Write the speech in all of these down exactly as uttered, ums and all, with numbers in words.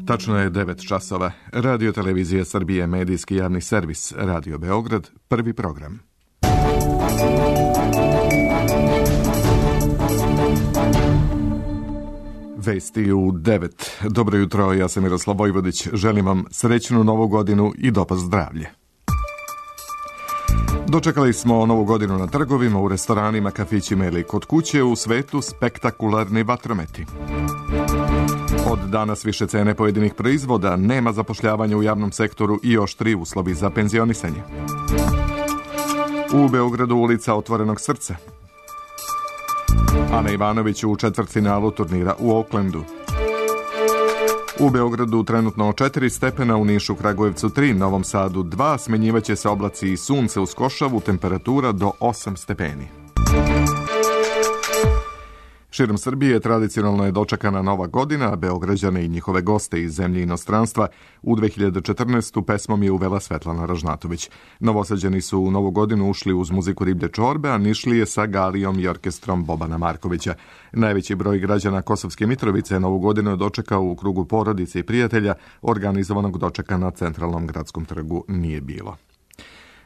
Tačno je devet časova. Radio Televizija Srbije, medijski javni servis, Radio Beograd, prvi program. Vesti u devet. Dobro jutro, ja sam Miroslav Vojvodić. Želim vam srećnu novu godinu i dopad zdravlje. Dočekali smo novu godinu na trgovima, u restoranima, kafićima ili kod kuće, u svetu spektakularni vatrometi. Od danas više cene pojedinih proizvoda, nema zapošljavanja u javnom sektoru i oštri uslovi za penzionisanje. U Beogradu ulica Otvorenog srca. Ana Ivanović u četvrtfinalu turnira u Oaklandu. U Beogradu trenutno četiri stepena, u Nišu, Kragujevcu tri, Novom Sadu dva, smenjivaće se oblaci i sunce uz košavu, temperatura do osam stepeni. Širom Srbije tradicionalno je dočekana nova godina, a Beograđane i njihove goste iz zemlje i inostranstva u dve hiljade četrnaestu. pesmom je uvela Svetlana Ražnatović. Novosađani su u novu godinu ušli uz muziku Riblje čorbe, a Nišlije sa Galijom i orkestrom Bobana Markovića. Najveći broj građana Kosovske Mitrovice novu godinu je dočekao u krugu porodice i prijatelja, organizovanog dočeka na centralnom gradskom trgu nije bilo.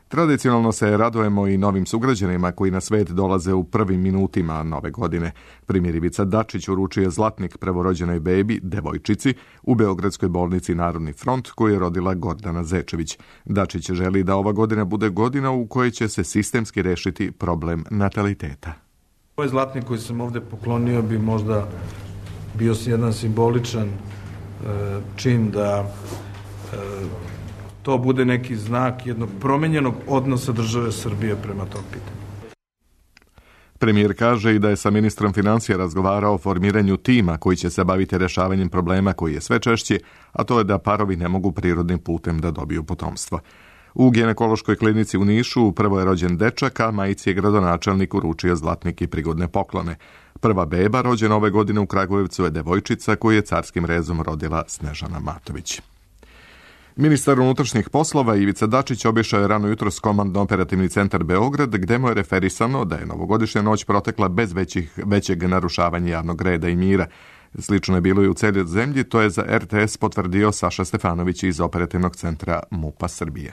Tradicionalno se radujemo i novim sugrađanima koji na svet dolaze u prvim minutima nove godine. Primjer, Ivica Dačić uručuje zlatnik prvorođenoj bebi, devojčici, u Beogradskoj bolnici Narodni front, koju je rodila Gordana Zečević. Dačić želi da ova godina bude godina u kojoj će se sistemski rešiti problem nataliteta. Ovaj zlatnik koji sam ovde poklonio bi možda bio jedan simboličan e, čin da e, to bude neki znak jednog promenjenog odnosa države Srbije prema tom pitanju. Premijer kaže i da je sa ministrom financija razgovarao o formiranju tima koji će se baviti rešavanjem problema koji je sve češći, a to je da parovi ne mogu prirodnim putem da dobiju potomstvo. U ginekološkoj klinici u Nišu prvo je rođen dečak, a majici je gradonačelnik uručio zlatnik i prigodne poklone. Prva beba rođena ove godine u Kragujevcu je devojčica koju je carskim rezom rodila Snežana Matović. Ministar unutrašnjih poslova Ivica Dačić obišao je rano jutro s komandno-operativni centar Beograd, gde mu je referisano da je novogodišnja noć protekla bez većih, većeg narušavanja javnog reda i mira. Slično je bilo i u celoj zemlji, to je za er te es potvrdio Saša Stefanović iz operativnog centra MUP-a Srbije.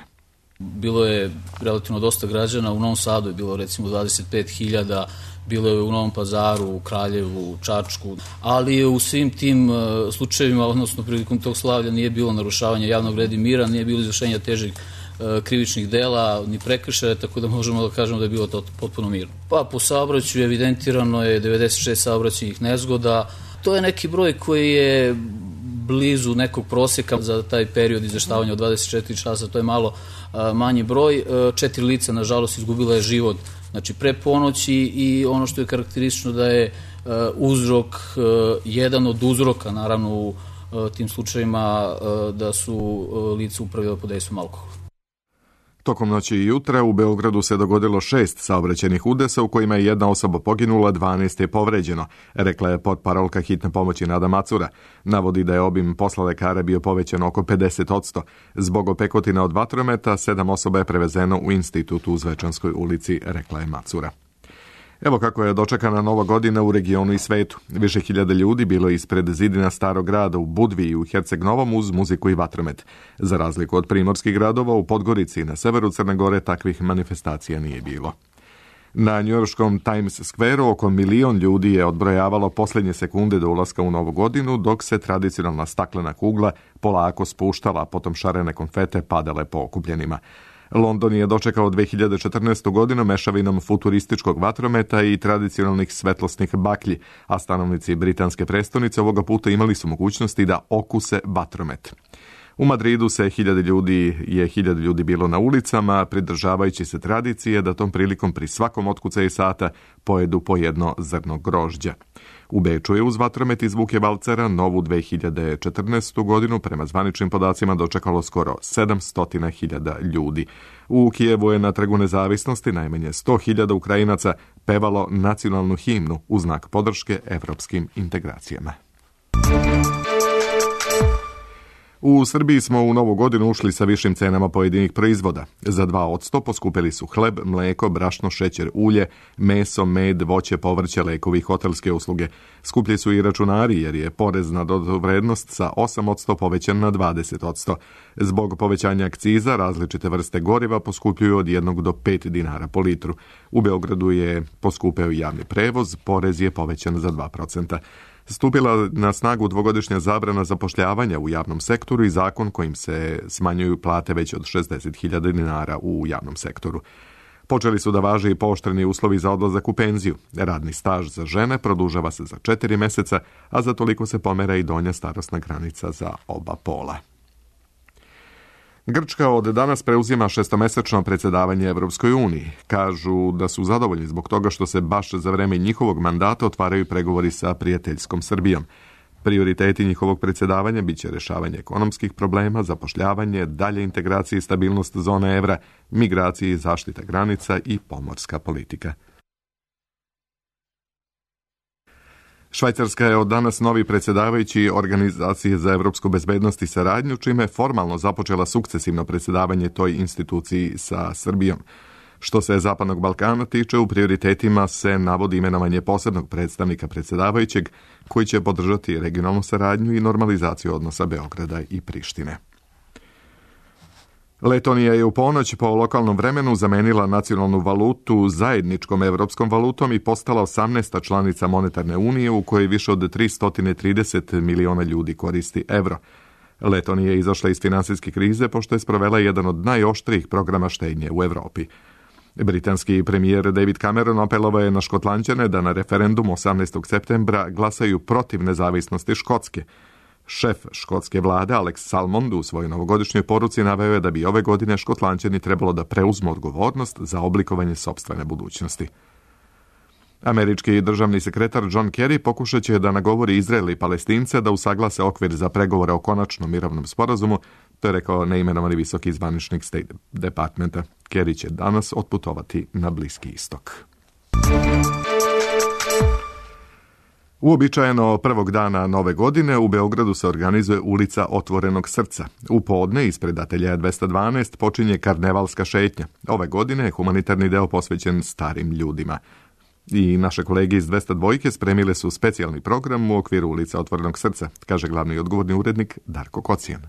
Bilo je relativno dosta građana, u Novom Sadu je bilo recimo dvadeset pet hiljada, bilo je u Novom Pazaru, u Kraljevu, u Čačku, ali u svim tim slučajevima, odnosno prilikom tog slavlja, nije bilo narušavanja javnog reda i mira, nije bilo izvršenja težih krivičnih dela, ni prekršaja, tako da možemo da kažemo da je bilo to potpuno mirno. Pa po saobraćaju evidentirano je devedeset šest saobraćajnih nezgoda. To je neki broj koji je blizu nekog prosjeka za taj period izveštavanja od dvadeset četiri časa, to je malo a, manji broj. A, četiri lica, nažalost, izgubila je život, znači pre ponoći, i ono što je karakteristično da je a, uzrok, a, jedan od uzroka, naravno u a, tim slučajima a, da su a, lica upravljala pod dejstvom alkohola. Tokom noći i jutra u Beogradu se dogodilo šest saobraćajnih udesa u kojima je jedna osoba poginula, dvanaest je povređeno, rekla je potparolka hitne pomoći Nada Macura. Navodi da je obim posla lekara bio povećan oko pedeset odsto. Zbog opekotina od vatrometa, sedam osoba je prevezeno u institutu u Zvečanskoj ulici, rekla je Macura. Evo kako je dočekana nova godina u regionu i svetu. Više hiljada ljudi bilo je ispred zidina Starog grada u Budvi i u Herceg Novom uz muziku i vatromet. Za razliku od primorskih gradova, u Podgorici i na severu Crne Gore takvih manifestacija nije bilo. Na njujorškom Times Square-u oko milion ljudi je odbrojavalo posljednje sekunde do ulaska u novu godinu, dok se tradicionalna staklena kugla polako spuštala, a potom šarene konfete padale po okupljenima. London je dočekao dve hiljade četrnaestu. godinu mešavinom futurističkog vatrometa i tradicionalnih svetlosnih baklji, a stanovnici britanske prestonice ovoga puta imali su mogućnosti da okuse vatromet. U Madridu se hiljade ljudi, je hiljade ljudi bilo na ulicama, pridržavajući se tradicije da tom prilikom pri svakom otkucaju sata pojedu po jedno zrno grožđa. U Beču je uz vatromet i zvuke valcera novu dve hiljade četrnaestu. godinu prema zvaničnim podacima dočekalo skoro sedamsto hiljada ljudi. U Kijevu je na Trgu nezavisnosti najmanje sto hiljada Ukrajinaca pevalo nacionalnu himnu u znak podrške evropskim integracijama. U Srbiji smo u novu godinu ušli sa višim cenama pojedinih proizvoda. Za dva posto poskupili su hleb, mleko, brašno, šećer, ulje, meso, med, voće, povrće, lekovi i hotelske usluge. Skuplji su i računari jer je porez na dodatu vrednost sa osam posto povećan na dvadeset posto. Zbog povećanja akciza različite vrste goriva poskupljuju od jednog do pet dinara po litru. U Beogradu je poskupeo javni prevoz, porez je povećan za dva procenta. Stupila na snagu dvogodišnja zabrana zapošljavanja u javnom sektoru i zakon kojim se smanjuju plate već od šezdeset hiljada dinara u javnom sektoru. Počeli su da važe i pooštreni uslovi za odlazak u penziju. Radni staž za žene produžava se za četiri meseca, a za toliko se pomera i donja starosna granica za oba pola. Grčka od danas preuzima šestomesečno predsjedavanje Evropskoj uniji. Kažu da su zadovoljni zbog toga što se baš za vreme njihovog mandata otvaraju pregovori sa prijateljskom Srbijom. Prioriteti njihovog predsjedavanja biće rješavanje ekonomskih problema, zapošljavanje, dalje integracije i stabilnost zone evra, migracije i zaštita granica i pomorska politika. Švajcarska je od danas novi predsjedavajući Organizacije za evropsku bezbednost i saradnju, čime je formalno započela sukcesivno predsjedavanje toj instituciji sa Srbijom. Što se Zapadnog Balkana tiče, u prioritetima se navodi imenovanje posebnog predstavnika predsjedavajućeg koji će podržati regionalnu saradnju i normalizaciju odnosa Beograda i Prištine. Letonija je u ponoć po lokalnom vremenu zamenila nacionalnu valutu zajedničkom evropskom valutom i postala osamnaesta članica monetarne unije u kojoj više od tristo trideset miliona ljudi koristi evro. Letonija je izašla iz finansijske krize pošto je sprovela jedan od najoštrijih programa štednje u Evropi. Britanski premijer David Cameron apelovao je na Škotlanđane da na referendumu osamnaestog septembra glasaju protiv nezavisnosti Škotske. Šef škotske vlade Alex Salmond u svojoj novogodišnjoj poruci naveo je da bi ove godine Škotlanđani trebalo da preuzmu odgovornost za oblikovanje sopstvene budućnosti. Američki državni sekretar John Kerry pokušat će da nagovori Izrael i Palestince da usaglase okvir za pregovore o konačnom mirovnom sporazumu, to je rekao neimenovani visoki zvaničnik State Departmenta. Kerry će danas otputovati na Bliski istok. Uobičajeno prvog dana nove godine u Beogradu se organizuje ulica Otvorenog srca. U podne ispred ateljeja dvesta dvanaest počinje karnevalska šetnja. Ove godine je humanitarni deo posvećen starim ljudima. I naše kolege iz dvesta dva spremile su specijalni program u okviru ulica Otvorenog srca, kaže glavni i odgovorni urednik Darko Kocijan.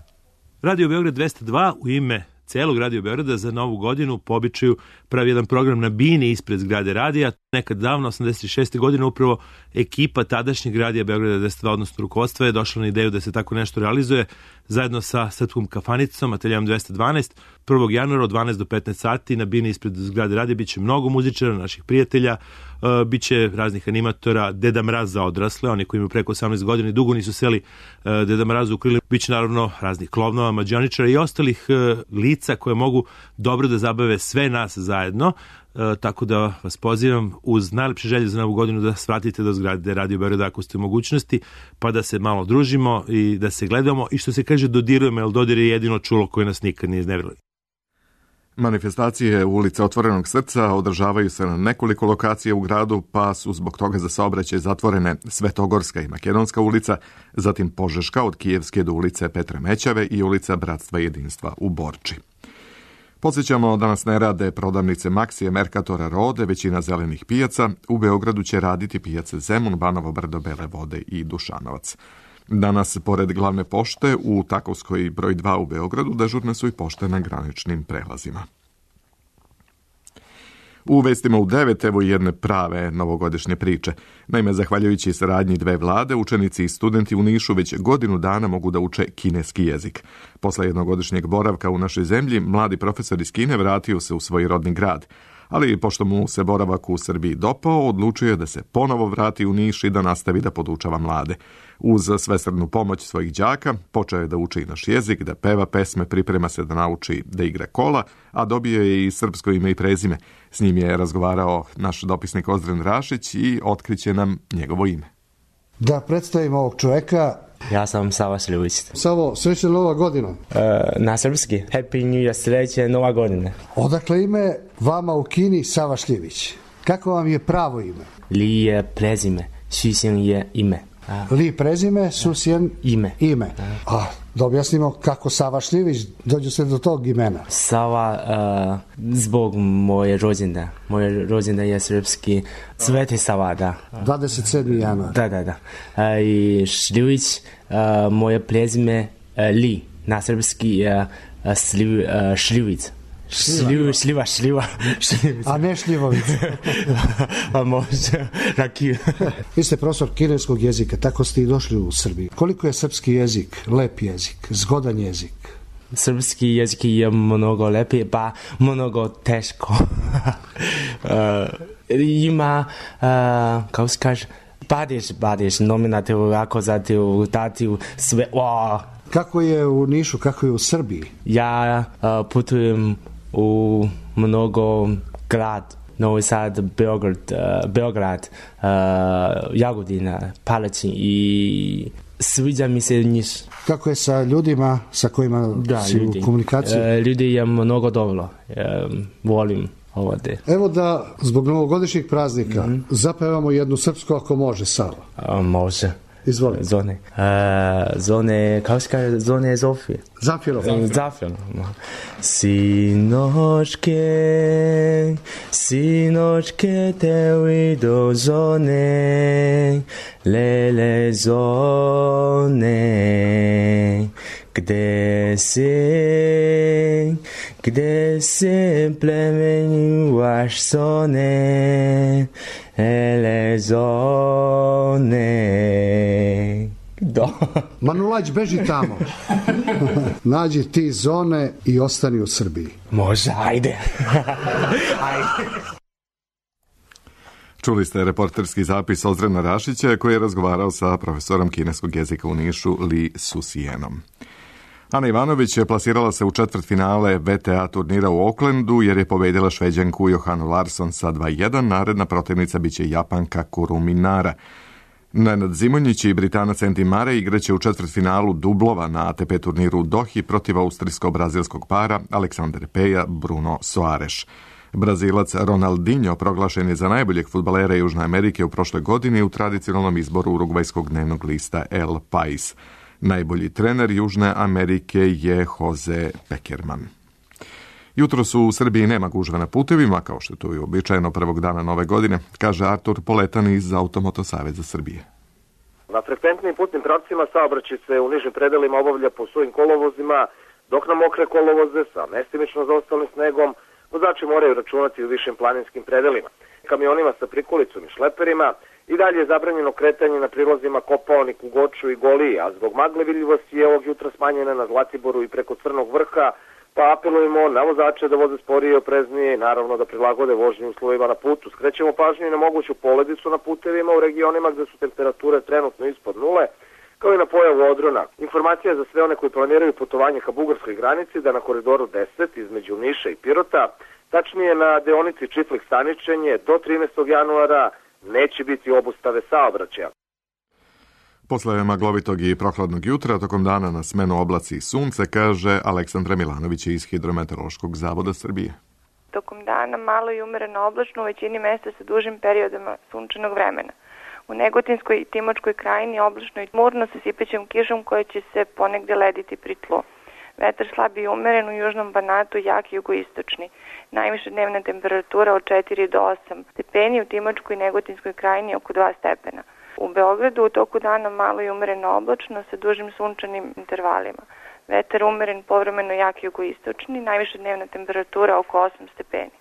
Radio Beograd dvesta dva u ime celog Radio Beograda za novu godinu po običaju pravi jedan program na bini ispred zgrade radija. Nekad davno, osamdeset šeste godine, upravo ekipa tadašnjeg radija Beograda dvesta dva, odnosno rukovodstva, je došla na ideju da se tako nešto realizuje zajedno sa Srpskom kafanicom, ateljejom dvesta dvanaest. prvog januara od dvanaest do petnaest sati na bini ispred zgrade radija biće mnogo muzičara, naših prijatelja, uh, biće raznih animatora, Deda Mraz za odrasle, oni koji imaju preko osamnaest godina i dugo nisu seli uh, Deda Mrazu u krili, biće naravno raznih klovnova, mađioničara i ostalih uh, lica koje mogu dobro da zabave sve nas zajedno. E, tako da vas pozivam uz najlepše želje za novu godinu da svratite do zgrade Radio Beograda ako ste u mogućnosti, pa da se malo družimo i da se gledamo i što se kaže dodirujemo, jer dodir je jedino čulo koje nas nikad nije iznevjerili. Manifestacije ulice Otvorenog srca održavaju se na nekoliko lokacija u gradu, pa su zbog toga za saobraćaj zatvorene Svetogorska i Makedonska ulica, zatim Požeška od Kijevske do ulice Petra Mećave i ulica Bratstva i jedinstva u Borči. Podsjećamo, danas ne rade prodavnice Maksije, Merkatora, Rode, većina zelenih pijaca. U Beogradu će raditi pijace Zemun, Banovo Brdo, Bele Vode i Dušanovac. Danas, pored glavne pošte, u Takovskoj broj dva u Beogradu dežurne su i pošte na graničnim prelazima. U vestima u devet, evo jedne prave novogodišnje priče. Naime, zahvaljujući saradnji dve vlade, učenici i studenti u Nišu već godinu dana mogu da uče kineski jezik. Posle jednogodišnjeg boravka u našoj zemlji, mladi profesor iz Kine vratio se u svoj rodni grad. Ali, pošto mu se boravak u Srbiji dopao, odlučio je da se ponovo vrati u Niš i da nastavi da podučava mlade. Uz svesrdnu pomoć svojih đaka, počeo je da uči naš jezik, da peva pesme, priprema se da nauči da igra kola, a dobio je i srpsko ime i prezime. S njim je razgovarao naš dopisnik Ozdren Rašić i otkriće nam njegovo ime. Da predstavim ovog čoveka. Ja sam Sava Šljivić. Savo, srećna nova godina. E, na srpski. Happy New Year, sreće nova godina. Odakle ime vama u Kini Sava Šljivić? Kako vam je pravo ime? Li je prezime, Xu Xing je ime. Li prezime, Susjen ime. ime. A, da objasnimo kako Sava Šljivić dođu se do tog imena. Sava uh, zbog moje rođendan. Moje rođendan je srpski Sveti Sava, da. dvadeset sedmog januara. Da, da, da. Uh, I Šljivić, uh, moje prezime uh, Li. Na srpski je uh, sliv, uh, Šljivić. Šljiva, šljiva, šljiva. A ne Šljivovica. A može, rakiju. Vi ste profesor kineskog jezika, tako ste i došli u Srbiji. Koliko je srpski jezik, lep jezik, zgodan jezik? Srpski jezik je mnogo lepi, pa mnogo teško. uh, ima, uh, kako se kaže, padeš, padeš, nominativ, akuzativ, dativ, sve, wow. Kako je u Nišu, kako je u Srbiji? Ja uh, putujem u mnogo grad, Novi Sad, Beograd, uh, Beograd, uh, Jagodina, Palačin i sviđa mi se Niš. Kako je sa ljudima sa kojima da, si ljudi. u komunikaciji? Uh, ljudi je mnogo dobro, um, volim ovdje. Evo da zbog novogodišnjih praznika mm-hmm. zapevamo jednu srpsku ako može, Sava. Uh, može. Izvoli. Zone. Uh, zone, kako se kaže, zone Zofije. Zafirov. Zafirov. Sinočke, sinočke te vidu zone, lele zone, gde si, gde si plemenjuvaš zone, lele zone. Da. Manulać, beži tamo. Nađi ti zone i ostani u Srbiji. Može, ajde. Ajde. Čuli ste reporterski zapis Ozrena Rašića koji je razgovarao sa profesorom kineskog jezika u Nišu Li Susjenom. Ana Ivanović je plasirala se u četvrtfinale V T A turnira u Oaklandu jer je pobedila Šveđanku Johanu Larsson sa dva jedan. Naredna protivnica biće Japanka Kurumi Nara. Nenad Zimonjić i Britanac Andy Murray igraće u četvrtfinalu dublova na A T P turniru u Dohi protiv austrijsko-brazilskog para Aleksander Peja Bruno Soares. Brazilac Ronaldinho proglašen je za najboljeg fudbalera Južne Amerike u prošloj godini u tradicionalnom izboru urugvajskog dnevnog lista El Pais. Najbolji trener Južne Amerike je Jose Pekerman. Jutro su u Srbiji nema gužve na putevima, kao što je to i uobičajeno prvog dana nove godine, kaže Artur Poletan iz Automoto Saveza Srbije. Na frekventnim putnim pravcima saobraćaj se u nižim predelima obavlja po svojim kolovozima, dok na mokre kolovoze sa mestimično zaostalim snegom vozači moraju računati u višim planinskim predelima. Kamionima sa prikolicom i šleperima i dalje je zabranjeno kretanje na prilazima Kopaonik, u Goču i Goliji, a zbog magle vidljivosti je ovog jutra smanjena na Zlatiboru i preko Crnog vrha, pa apelujemo na vozače da voze sporije i opreznije i naravno da prilagode vožnju uslovima na putu. Skrećemo pažnju i na moguću poledicu na putevima u regionima gde su temperature trenutno ispod nule, kao i na pojavu odrona. Informacija za sve one koji planiraju putovanje ka bugarskoj granici da na koridoru deset između Niša i Pirota, tačnije na deonici Čitlik-Staničenje do trinaestog januara, neće biti obustave saobraćaja. Posle maglovitog i prohladnog jutra, tokom dana na smenu oblaci i sunce, kaže Aleksandra Milanović iz Hidrometeorološkog zavoda Srbije. Tokom dana malo i umereno oblačno u većini mesta sa dužim periodima sunčanog vremena. U Negotinskoj i Timočkoj krajini oblačno i tmurno sa sipećom kišom koja će se ponegde lediti pri tlu. Vetar slab i umeren u južnom Banatu, jak jugoistočni. Najviša dnevna temperatura od četiri do osam stepeni, u Timočkoj i Negotinskoj krajini oko dva stepena. U Beogradu u toku dana malo i umereno oblačno sa dužim sunčanim intervalima. Vetar umeren, povremeno jak jugoistočni, najviša dnevna temperatura oko osam stepeni.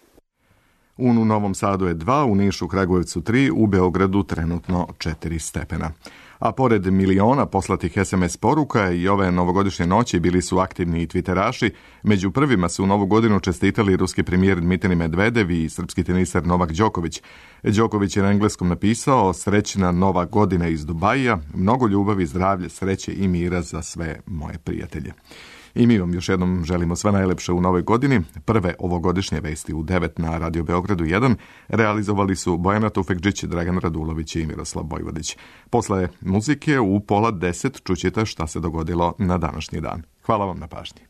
U Novom Sadu je dva, u Nišu, Kragujevcu tri, u Beogradu trenutno četiri stepena. A pored miliona poslatih es em es poruka i ove novogodišnje noći bili su aktivni i twitteraši. Među prvima su u novu godinu čestitali ruski premijer Dmitrij Medvedev i srpski teniser Novak Đoković. Đoković je na engleskom napisao: srećna nova godina iz Dubaija, mnogo ljubavi, zdravlje, sreće i mira za sve moje prijatelje. I mi vam još jednom želimo sve najlepše u novoj godini. Prve ovogodišnje vesti u devet na Radio Beogradu jedan realizovali su Bojana Tufekđić, Dragan Radulović i Miroslav Bojvodić. Posle muzike u pola deset čućete šta se dogodilo na današnji dan. Hvala vam na pažnji.